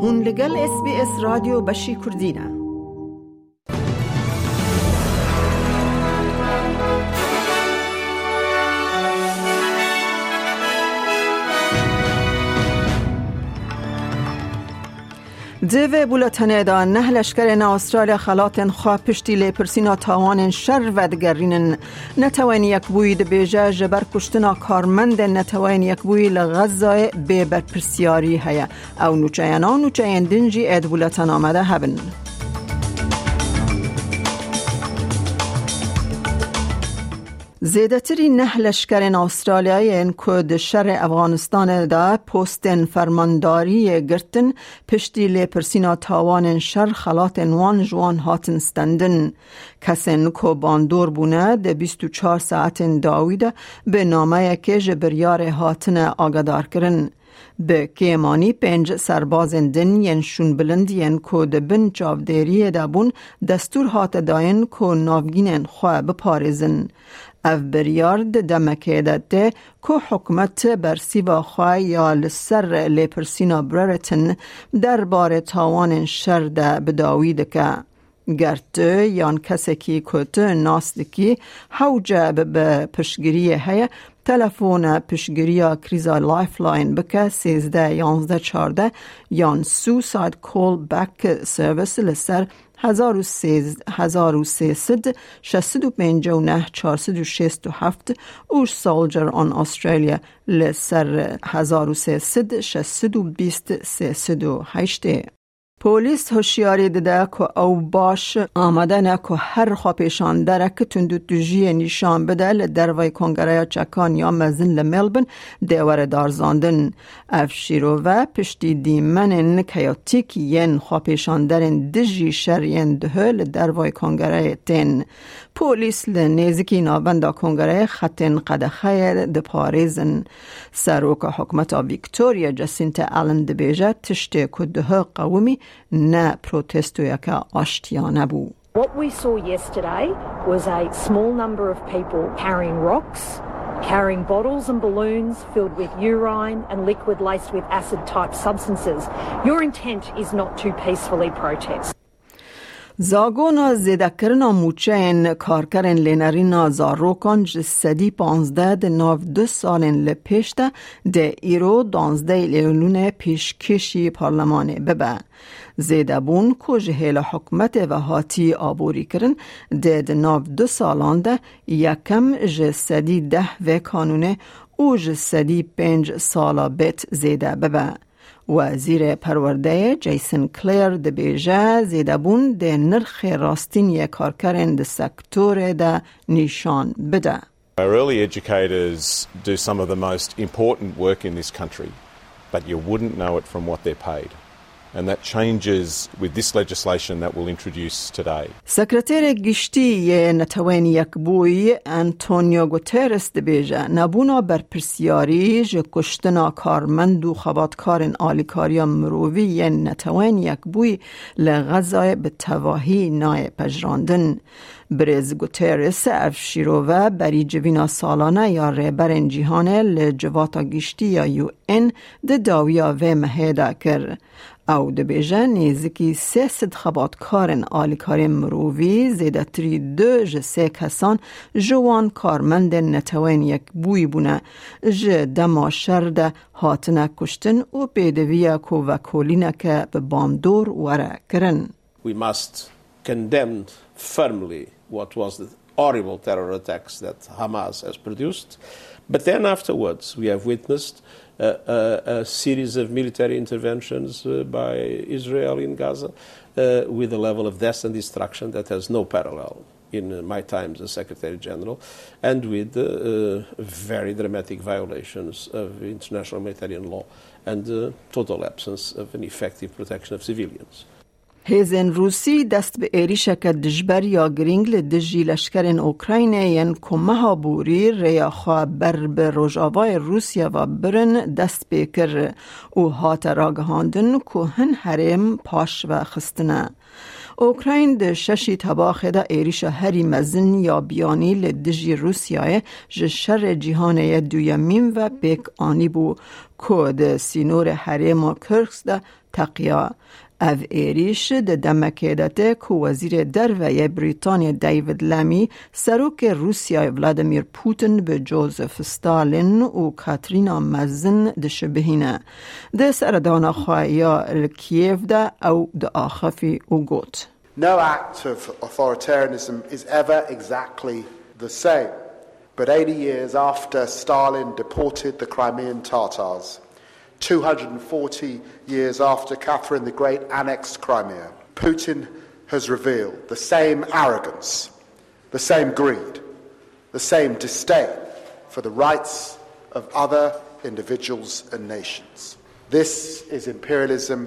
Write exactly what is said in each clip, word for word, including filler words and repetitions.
Hûn li gel S B S Radyo Beşî Kurdî ne. Di vê bulletenê de neh leşkerên Astralya xelatên xwe piştî lêpirsîna tawanên şer vedigerînin. Netewên Yekbûyî dibêje, ji ber kuştina karmendên Netewên Yekbûyî li Xezayê bê berpirsiyarî heye. Ew nûçeyena û nûçeyên din jî ê di bulletena me de hebin. Zêdetirî neh leşkerên Astraliyayê yên ku di şerê Efganistanê de postên fermandariyê girtin, piştî lêpirsîna tawanên şer xelatên wan ji wan hatin stendin. Kesên ku bandor bûne di bîst û çar saetên dawî de bi nameyekê ji biryarê hatine agadarkirin. Bi kêmanî pênc serbazên din yên şûnbilind yên ku di bin çavdêriyê de bûn, destûr hate dayîn ku navgînên xwe biparêzin. Ev biryar di demekê de tê ku hikûmet bersîva xwe ya li ser lêpirsîna Brereton derbarê tawanên şer de bi dawî dike. Ger tu yan kesekî ku tu nas dikî hewce bibe piştgiriyê heye, telefona piştgiriya krîza Lifeline bike sêzdeh yanzdeh çardeh yan Suicide Call Back Service li ser hezar û sê, hezar û sê sed, şeş sed û pêncî û neh, çar sed û şêst û heft û Soldier on Australia li ser hezar û sê sed, şeş sed û bîst, sê sed û heştê. Polîs hişyarî dide ku ew baş amade ne ku her xwepêşanderek tundûtûjiyê nîşan bide li dervayî Kongereya Çekan ya Mezin li Melbourne dê were darzandin. Ev şîrove piştî dîmenên keyotîk yên xwepêşanderên dijî şer yên duhê li dervayî Kongereyê tên. Polîs li nêzîkî navenda Kongereyê xetên qedexeyê diparêzin. Seroka hikûmeta Victoria Jacinta Allen dibêje, tiştê ku duhê qewimî ne protestoyeke aştiyane bû. What we saw yesterday was a small number of people carrying rocks, carrying bottles and balloons filled with urine and liquid laced with acid type substances. Your intent is not to peacefully protest. Zagona zêdekirina mûçeyên karkerên lênerîna zarokan ji sedî panzdeh di nav du salên li pêş de dê îro danzdeh Eylûnê pêşkêşî parlemanê bibe. Zêdebûn ku ji hêla hikûmetê ve hatî aborîkirin, dê di nav du salan de yekem ji sedî deh vê kanûnê û ji sedî pênc sala bêt zêde bibe. Wezîrê Perwerdeyê Jason Clare dibêje, zêdebûn dê nirxê rastîn yê karkerên di sektorê de nîşan bide. Our early educators do some of the most important work in this country, but you wouldn't know it from what they're paid. And that changes with this legislation that we'll introduce today. Sekreterê Giştî yê Netewên Yekbûyî Antonio Guterres dibêje, nebûna berpirsiyarî ji kuştina karmend û xebatkarên alîkariya mirovî yên Netewên Yekbûyî li Xezayê bi tevahî nayê pejirandin. Birêz Guterres ev şîrove berî civîna salane ya rêberên cîhanê li Civata Giştî ya U N di dawiya vê mehê de kir. Ew dibêje, nêzîkî sê sed xebatkarên alîkarên mirovî, zêdetirî du ji sê kesan ji wan karmendên Netewên Yekbûyî bûne, ji dema şer de hatine kuştin û pêdiviya ku vekolîneke bi bandor were kirin. We must condemn firmly what was the horrible terror attacks that Hamas has produced. But then afterwards, we have witnessed a, a, a series of military interventions, uh, by Israel in Gaza, uh, with a level of death and destruction that has no parallel in, uh, my times as Secretary General, and with, uh, uh, very dramatic violations of international humanitarian law and, uh, total absence of an effective protection of civilians. Hêzên Rûsî dest bi êrîşeke dijber ya girîng li dijî leşkerên Ukraynê yên ku meha borî rêya xwe ber bi rojavayê Rûsya ve birin dest pê kir û hate ragihandin ku hin herêm paş ve xistine. Ukrayn di şeşî Tebaxê de êrîşa herî mezin ya biyanî li dijî Rûsyayê ji şerê cîhanê yê duyemîn ve pêk anîbû, ku di sînorê herêma Kursk de teqiya. Ev êrîş di demekê de tê ku Wezîrê Derve yê Brîtanyê David Lammy, Serokê Rûsyayê Vladimir Putin bi Joseph Stalin û Katrîna Mezin dişibihîne. Di seredana xwe ya li Kiev de ew diaxifî û got. No act of authoritarianism is ever exactly the same. But eighty years after Stalin deported the Crimean Tatars, two hundred forty years after Catherine the Great annexed Crimea, Putin has revealed the same arrogance, the same greed, the same disdain for the rights of other individuals and nations. This is imperialism.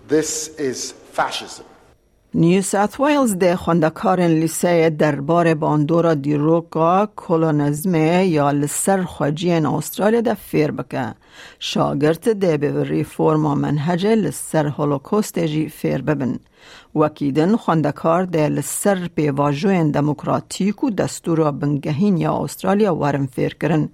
This is fascism. New South Wales de xwendekarên lîseyê derbarê bandora dîroka kolonizmê ya li ser xweciyên Astralya de fêr bike. Şagirt dê bi reforma menhecê li ser Holokostê jî fêr bibin. Wekî din xwendekar dê li ser pêvajoyên demokratîk û destûra bingehîn ya Astralya werin fêrkirin.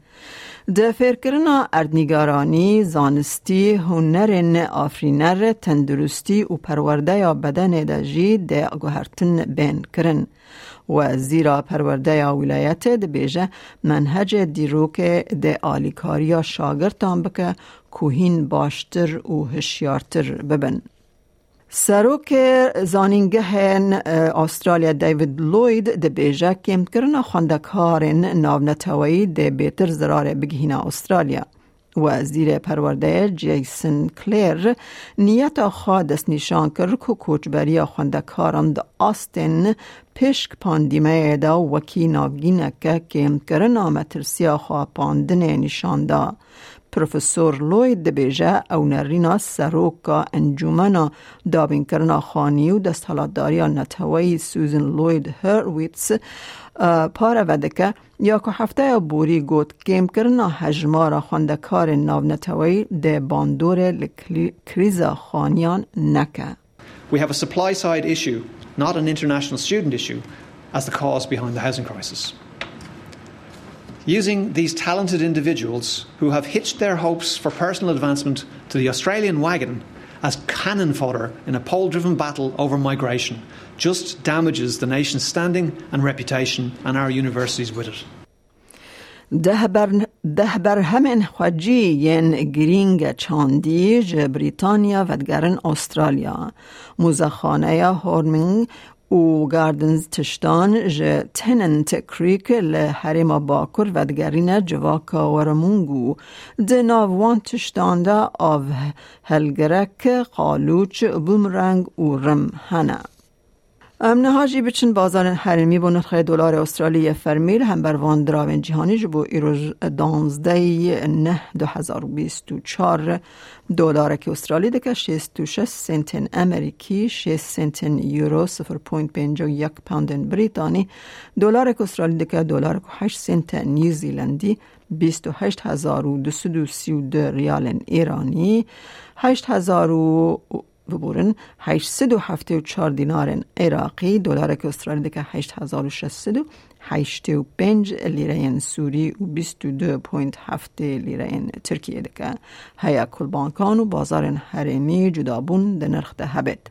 Di fêrkirina erdnîgaranî, zanistî, hunerên afirîner, tenduristî û perwerdeya bedenê de jî dê guhertin bên kirin. Wezîra Perwerdeya Wîlayetê dibêje, menhecê dîrokê dê alîkariya şagirtan bike ku hîn baştir û hişyartir bibin. Serokê zanîngehên, e, Astralya David Lloyd dibêje, kêmkirina xwendekarên navneteweyî dê bêtir zirarê bigihîne Astralya. Wezîrê Perwerdeyê Jason Clare niyeta xwe destnîşan kir ku koçberiya xwendekaran di astên pêşk pandîmeyê de wekî navgîneke kêmkirina metirsiya xwepandinê nîşan da. Profesor Lloyd dibêje, ew nerîna seroka Encûmena Dabînkirina Xanî û Desthilatdariya Neteweyî Susan Lloyd Hurwitz, e, pareve dike, ya ku hefteya borî got, kêmkirina hejmara xwendekarên navneteweyî dê bandorê li kli-, krîza xaniyan neke. We have a supply side issue, not an international student issue, as the cause behind the housing crisis. Using these talented individuals who have hitched their hopes for personal advancement to the Australian wagon as cannon fodder in a poll-driven battle over migration just damages the nation's standing and reputation and our universities with it. Deh ber-, deh berhemên xwecî yên girîng çandî ji Brîtanya vedigerin Astralya. Muzexaneya Horming û Gardens tiştan ji Tennant Creek li herêma Bakur vedigerîne civaka Warramungu. Di nav wan tiştan de av helgirek, qalûç, bumerang û rim hene. Em niha jî biçin bazarên herêmî bo nirxê dolarê Astralî yê fermî li hember van diravên cîhanî ji bo îroj danzdeh neh du hezar û bîst û çar. Dolarekî Astralî dike şêst û şeş sentên Amerîkî, şêst sentên Euro, sifir point pêncî û yek poundên Brîtanî. Dolarekî Astralî dike dolarek û heşt sente New Zealandî, bîst û heşt hezar û du sed û sî û du riyalên Îranî, heşt hezar û biborin, heşt sed û heftê û çar dînarên Iraqî, dolareke Astralî dike heşt hezar û şeş sed û heştê û pênc lîreyên Sûrî û bîst û du point heftê lîreyên Tirkiyê dike. Heya ku li bankan û bazarên herêmî cudabûn di nirx de hebêt.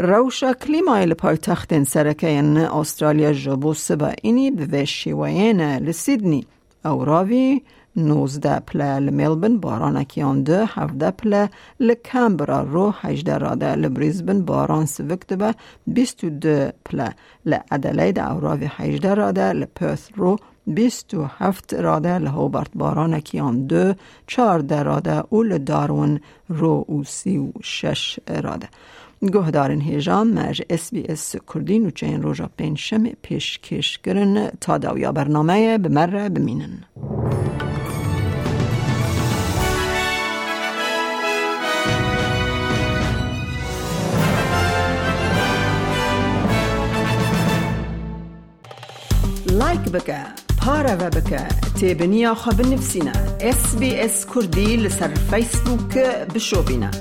Rewşa klîmayê li paytextên sereke yên Astralya ji bo siba înî bi vê şêweyê ne. Li Sydney, Ewravî nozdeh pile, li Melbourne baranekî yan du, hevdeh pile, li Canberra ro hejdeh rade, li Brisbane baran sivik dibe, bîst û du pile, li Adelaide ewravî hejdeh rade, li Perth ro bîst û heft rade, li Hobart baranekî yan du, çardeh rade û li Darwin ro û sî û şeş rade. Guhdarên hêja me ji S B S Kurdî nûçeyên roja pêncşemê pêşkêş kirin. Ta dawiya bernameyê bi me re bimînin. Like bike, pareve bike, têbiniya xwe binivîsîne. S B S Kurdî li ser Facebook bişopîne.